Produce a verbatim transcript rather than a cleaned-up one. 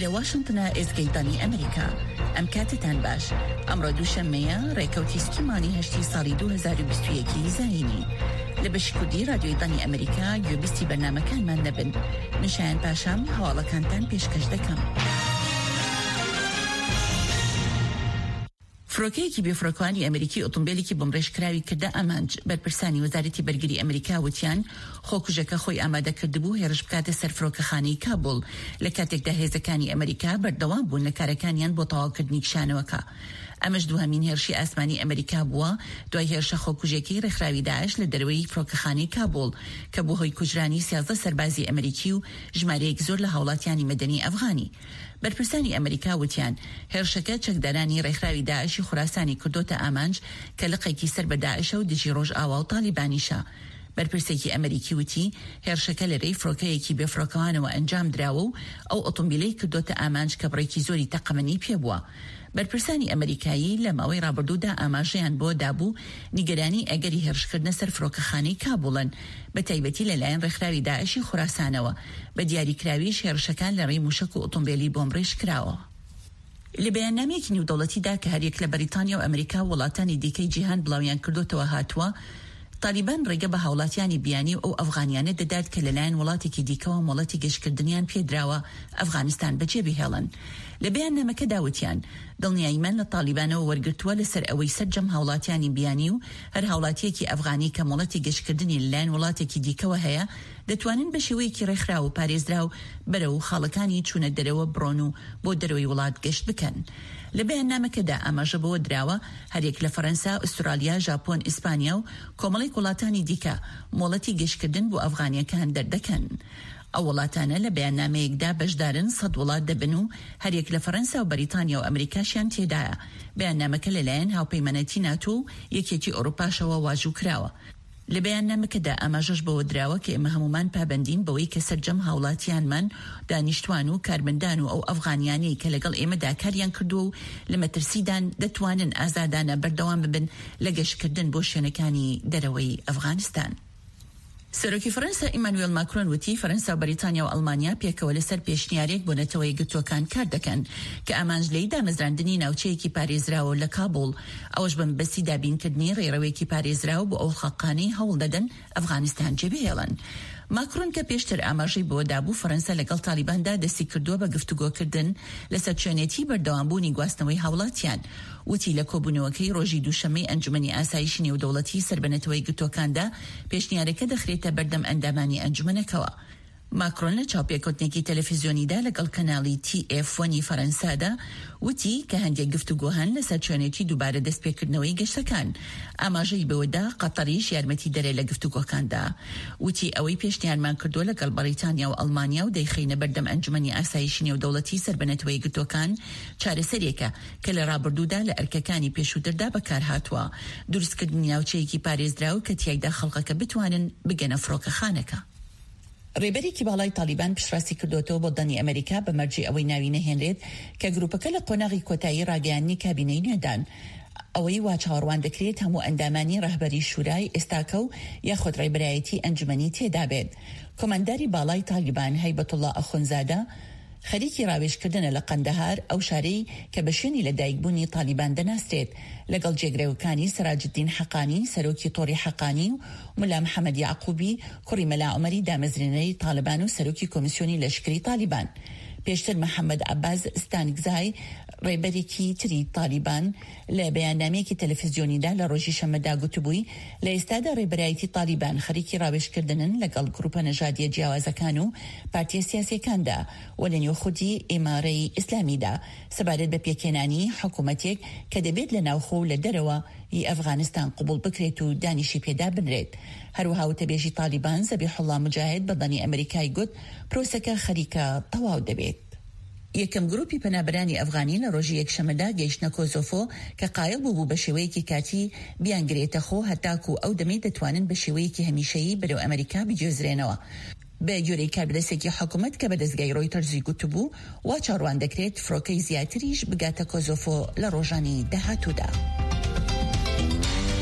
ئێرە واشنتنە، ئێزگەی دەنگی ئەمریکا. ئەم کاتتان باش. ئەمڕۆ دووشەممەیە، ڕێکەوتی سی مانگی هەشتی ساڵی دوو هەزار و بیست و یەک زایینی. لە بەشی کوردی رادیۆی دەنگی ئەمریکا گوێبیستی بەرنامەکانمان دەبن. من شایان پاشام هەواڵەکانتان پێشکەش دەکەم. فڕۆکەیەکی بێفڕۆکەوانی ئەمریکی ئۆتۆمبیلێکی بۆمبڕێژکراوی کردە ئامانج. بەرپرسانی وەزارەتی بەرگری ئەمریکا وتیان خۆکوژەکە خۆی ئامادە کردبوو هێرش بکاتە سەر فڕۆکەخانەی کابوڵ، لە کاتێکدا هێزەکانی ئەمریکا بەردەوام بوون لە کارەکانیان بۆ تەواوکردنی کشانەوەکە. ئەمەش دووهەمین هێرشی ئاسمانی ئەمریکا بووە دوای هێرشە خۆکوژێکی ڕێکخراوی داعش لە دەرەوەی فڕۆکەخانەی کابوڵ کە بوو هۆی کوژرانی سیازدە سەربازی ئەمریکی و ژمارەیەک زۆر لە هاوڵاتیانی مەدەنی ئەفغانی. بەرپرسانی ئەمریکا وتیان هێرشەکە چەکدارانی ڕێکخراوی داعشی خوراسانی کردۆتە ئامانج کە لقێکی سەر بە داعشە و دژی ڕۆژئاوا و تالیبانیشە. بەرپرسێکی ئەمریکی وتی هێرشەکە لە رێی فڕۆکەیەکی بێفڕۆکەوانەوە ئەنجام دراوە و ئەو ئۆتۆمبیلەی کردۆتە ئامانج کە بڕێکی زۆری تەقەمەنی پێبووە. بەرپرسانی ئەمریکایی لە ماوەی ڕابردوودا ئاماژەیان بۆ دابوو نیگەرانی ئەگەری هێرشکردنە سەر فڕۆکەخانەی کابوڵن، بە تایبەتی لەلایەن ڕێکخراوی داعشی خوراسانەوە، بە دیاریکراویش هێرشەکان لە ڕێی موشەک و ئۆتۆمبیلی بۆمبڕێژکراوە. لە بەیاننامەیەکی نێودەوڵەتیدا کە هەریەک لە بەریتانیا و ئەمریکا و وڵاتانی دیکەی جیهان بڵاویان کردوتەوە هاتووە، تالیبان ڕێگە بە هاوڵاتیانی بیانی و ئەو ئەفغانیانە دەدات کە لەلایەن وڵاتێکی دیکەوە مۆڵەتی گەشتکردنیان پێدراوە ئەفغانستان بەجێبهێڵن. لە بەیاننامەکەدا وتیان دڵنیاییمان لە تالیبانەوە وەرگرتووە لەسەر ئەوەی سەرجەم هاوڵاتیانی بیانی و هەر هاوڵاتیەکی ئەفغانی کە مۆڵەتی گەشتکردنی لەلایەن وڵاتێکی دیکەوە هەیە دەتوانن بە شێوەیەکی ڕێکخراو و پارێزراو بەرەو خاڵەکانی چوونە دەرەوە بڕۆن و بۆ دەرەوەی وڵات گەشت بکەن. لە بەیاننامەکەدا ئاماژە بەوە دراوە هەرێک لە فەرەنسا، ئوسترالیا، ژاپۆن، ئیسپانیا و کۆمەڵێک وڵاتانی دیکە مۆڵەتی گەشتکردن بۆ ئەفغانیەکان دەردەکەن. ئەو وڵاتانە لە بەیاننامەیەکدا بەشدارن سەد وڵات دەبن و هەرێک لە فەرەنسا و بەریتانیا و ئەمریکاشیان تێدایە. بەیاننامەکە لەلایەن هاوپەیمانەتی ناتۆ و یەکێتی ئەوروپاشەوە واژوو کراوە. لە بەیاننامەکەدا ئاماژەش بەوە دراوە کە ئێمە هەمومان پابەندین بەوەی کە سەرجەم هاوڵاتیانمان، دانیشتوان و کارمەندان و ئەو ئەفغانیانەی کە لەگەڵ ئێمەدا کاریان کردووە و لە مەترسیدان دەتوانن ئازادانە بەردەوام ببن لە گەشتکردن بۆ شوێنەکانی دەرەوەی ئەفغانستان. سەرۆکی فەرەنسا ئیمانوێل ماکرۆن وتی فەرەنسا و بەریتانیا و ئەڵمانیا پێکەوە لەسەر پێشنیارێک بۆ نەتەوە یەکگرتووەکان کار دەکەن کە ئامانج لێی دامەزراندنی ناوچەیەکی پارێزراوە لە کابوڵ، ئەوەش بە مەبەستی دابینکردنی ڕێڕەوێکی پارێزراو بۆ ئەو خەڵقانەی هەوڵ دەدەن ئەفغانستان جێبهێڵن. ماکرۆن کە پێشتر ئاماژەی بەوە دابوو فەرەنسا لەگەڵ تالیباندا دەستی کردووە بە گفتوگۆکردن لەسەر چۆنێتی بەردەوامبوونی گواستنەوەی هاوڵاتیان، وتی لە کۆبوونەوەکەی ڕۆژی دووشەممەی ئەنجومەنی ئاسایشی نێودەوڵەتی سەر بە نەتەوە یەکگرتووەکاندا پێشنیارەکە دەخرێتە بەردەم ئەندامانی ئەنجومەنەکەوە. ماکرۆن لە چاوپێکەوتنێکی تەلەفیزیۆنیدا لەگەڵ کەناڵی تی ئێف وەنی فەرەنسادا وتی کە هەندێک گفتوگۆ هەن لەسەر چۆنێتی دووبارە دەستپێکردنەوەی گەشتەکان. ئاماژەی بەوەدا قەتەریش یارمەتی دەرێ لە گفتوگۆکاندا. وتی ئەوەی پێشنیارمان کردووە لەگەڵ بەریتانیا و ئەڵمانیا و دەیخەینە بەردەم ئەنجومەنی ئاسایشی نێودەوڵەتی سەر بە نەتەوە یەکگرتووەکان چارەسەرێکە کە لە ڕابردوودا لە ئەرکەکانی پێشووتردا بەکارهاتووە، دروستکردنی ناوچەیەکی پارێزراو کە تیایدا خەڵکەکە بتوانن بگەنە فڕۆکەخانەکە. ڕێبەرێکی باڵای تالیبان پشتڕاستی کردوێتەوە بۆ دەنگی ئەمریکا بە مەرجی ئەوەی ناوی نەهێنرێت کە گروپەکە لە قۆناغی کۆتایی ڕاگەیاندنی کابینەی نوێدان. ئەوەی وا چاوەڕوان دەکرێت هەموو ئەندامانی ڕەهبەری شورای ئێستاکە و یاخود ڕێبەرایەتی ئەنجومەنی تێدا بێت. کۆمانداری باڵای تالیبان هەیبەتوڵا ئەخونزادە خەریکی ڕاوێژکردنە لە قەندەهار، ئەو شارەی کە بە شوێنی لەدایکبوونی تالیبان دەناسرێت، لەگەڵ جێگرەوەکانی سەراجدین حەقانی سەرۆکی تۆڕی حەقانی و ملا محەممەد یەعقوبی کوڕی مەلا عومەری دامەزرێنەری تالیبان و سەرۆکی کۆمیسیۆنی لەشکری تالیبان. پێشتر محەممەد عەباس ستانکزای ڕێبەرێکی تری تالیبان لە بەیاننامەیەکی تەلەفزیۆنیدا لە ڕۆژی شەممەدا گوتبووی لە ئێستادا ڕێبەرایەتی تالیبان خەریکی ڕاوێژکردنن لەگەڵ گروپە نەژادیە جیاوازەکان و پارتیە سیاسیەکاندا و لە نێو خودی ئیمارەی ئیسلامیدا سەبارەت بە پێکهێنانی حکوومەتێک کە دەبێت لە ناوخۆ و لە دەرەوە ی ئەفغانستان قبوڵ بکرێت و دانیشی پێدا بنرێت. هەروەها وتەبێژی تالیبان زەبیحوڵا موجاهد بە دەنگی ئەمریکای گوت پرۆسەکە خەریکە تەواو دەبێت. یەکەم گروپی پەنابەرانی ئەفغانی لە ڕۆژی یەکشەممەدا گەیشتنە کۆزۆفۆ کە قایل بوو بە شێوەیەکی کاتی بیانگرێتە خۆ هەتاکو ئەو دەمەی دەتوانن بە شێوەیەکی هەمیشەیی بەرەو ئەمریکا بگوێزرێنەوە. بە گوێرەی کاربەدەستێکی حکوومەت کە بە دەزگای ڕۆیتەرزی گوتبوو وا چاوەڕوان دەکرێت فڕۆکەی زیاتریش بگاتە کۆزۆفۆ لە ڕۆژانی داهاتوودا.